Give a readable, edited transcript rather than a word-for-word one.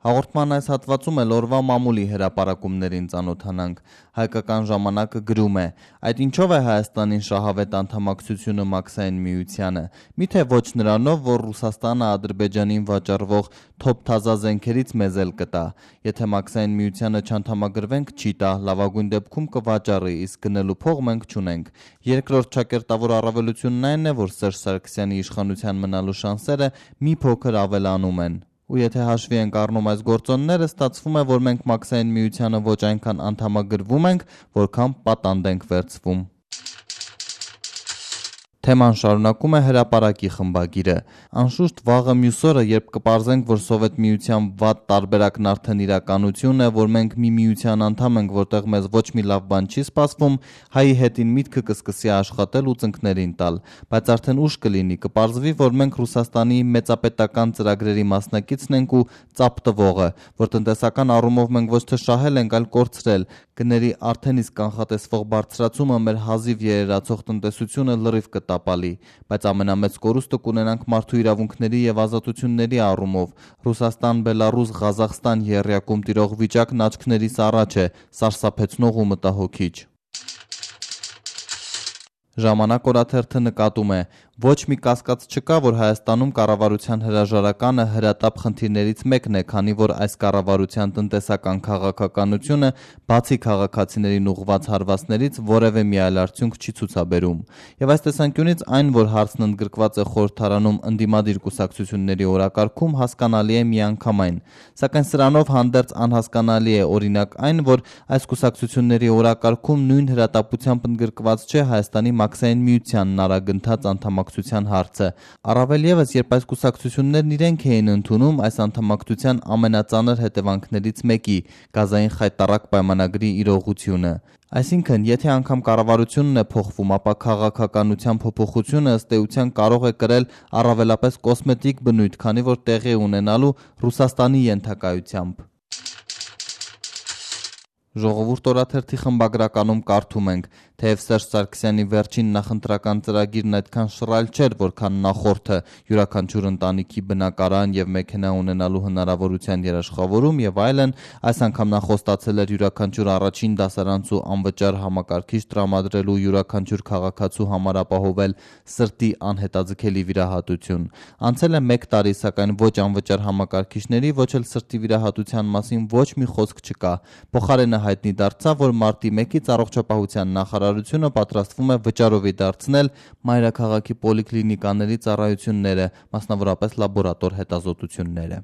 Հաղորդման այս հատվածում էլ օրվա մամուլի հրապարակումներին ծանոթանանք։ Հայկական ժամանակը գրում է. այդ ինչով է Հայաստանին շահավետ անդամակցությունը Մաքսային միությանը։ Միթե ոչ նրանով, որ Ռուսաստանը Ադրբեջանին վաճառվող թոփ-թազա զենքերից մեզ էլ կտա։ Եթե Մաքսային միությանը չանդամագրվենք, չի տա, լավագույն դեպքում կվաճառի, իսկ գնելու փող մենք չունենք։ Երկրորդ ճակերտավոր առավելությունն այն է, որ Սերժ Սարգսյանի իշխանության մնալու շանսերը մի փոքր ավելանում են։ Ու եթե հաշվի ենք առնում այս գործոնները, ստացվում է, որ մենք Մաքսային միությանը ոչ այնքան անդամագրվում ենք, որքան պատանդ ենք վերցվում։ Թեման շարունակում է հրապարակի խմբագիրը։ Անշուշտ վաղը մյուս օրը, երբ կպարզենք, որ Սովետ միության վատ տարբերակն արդեն իրականություն է, որ մենք մի միության անդամ ենք, որտեղ մեզ ոչ մի լավ բան չի սպասվում, հայի հետին միտքը կսկսի աշխատել ու ծնկներին տալ։ Բայց արդեն ուշ կլինի, կպարզվի, որ մենք Ռուսաստանի մեծապետական ծրագրերի մասնակիցն ենք ու ծափ տվողը, որ տնտեսական առումով մենք ոչ թե շահել ենք, այլ կորցրել։ Գների արդեն իսկ կանխատեսվող բարձրացումը մեր հազիվ երերացող տնտեսությունը լրիվ կտապալի, բայց ամենամեծ կորուստը կունենանք մարդու իրավունքների եւ ազատությունների առումով։ Ռուսաստան, Բելարուս, Ղազախստան եռյակում տիրող վիճակն աչքներիս առաջ է, սարսափեցնող ու մտահոգիչ։ Ժամանակ օրաթերթը նկատում է. ոչ մի կասկած չկա, որ Հայաստանում կառավարության հրաժարականը հրատապ խնդիրներից մեկն է, քանի որ այս կառավարության տնտեսական քաղաքականությունը բացի քաղաքացիներին ուղղված հարվածներից որևէ մի այլ արդյունք չի ցուցաբերում։ Եվ այս տեսանկյունից այն, որ հարցն ընդգրկված է խորհրդարանում ընդդիմադիր կուսակցությունների օրակարգում, հասկանալի է միանգամայն։ Սակայն սրանով հանդերձ անհասկանալի է օրինակ այն, որ այս կուսակցությունների օրակարգում նույն հրատապությամբ ընդգրկված չէ Հայաստանի Մաքսային միությանն արագընթաց անդամակցության հարցը։ Առավել ևս, երբ այս կուսակցություններն իրենք էին ընդունում այս անդամակցության ամենածանր հետևանքներից մեկի՝ գազային խայտառակ պայմանագրի իրողությունը։ Այսինքն, եթե անգամ կառավարությունն է փոխվում, ապա քաղաքականության փոփոխությունը ըստ էության կարող է կրել առավելապես կոսմետիկ բնույթ, քանի որ տեղի է ունենալու Ռուսաստանի ենթակայությամբ։ Ժողովուրդ օրաթերթի խմբագրականում կարդում ենք. թեև Սերժ Սարգսյանի վերջին նախընտրական ծրագիրն այդքան շռայլ չէր, որքան նախորդը՝ յուրաքանչյուր ընտանիքի բնակարան եւ մեքենա ունենալու հնարավորության երաշխավորում եւ այլն, այս անգամ նա խոստացել էր յուրաքանչյուր առաջին դասարանցու անվճար համակարգիչ տրամադրելու, յուրաքանչյուր քաղաքացու համար ապահովել սրտի անհետաձգելի վիրահատություն։ Անցել է 1 տարի, սակայն ոչ անվճար համակարգիչների, ոչ էլ սրտի վիրահատության մասին ոչ մի խոսք չկա։ Փոխարենը հայտնի դարձավ, որ մարտի 1-ից առողջապահության նախարարությունը պատրաստվում է վճարովի դարձնել մայրաքաղաքի պոլիկլինիկաների ծառայությունները, մասնավորապես լաբորատոր հետազոտությունները։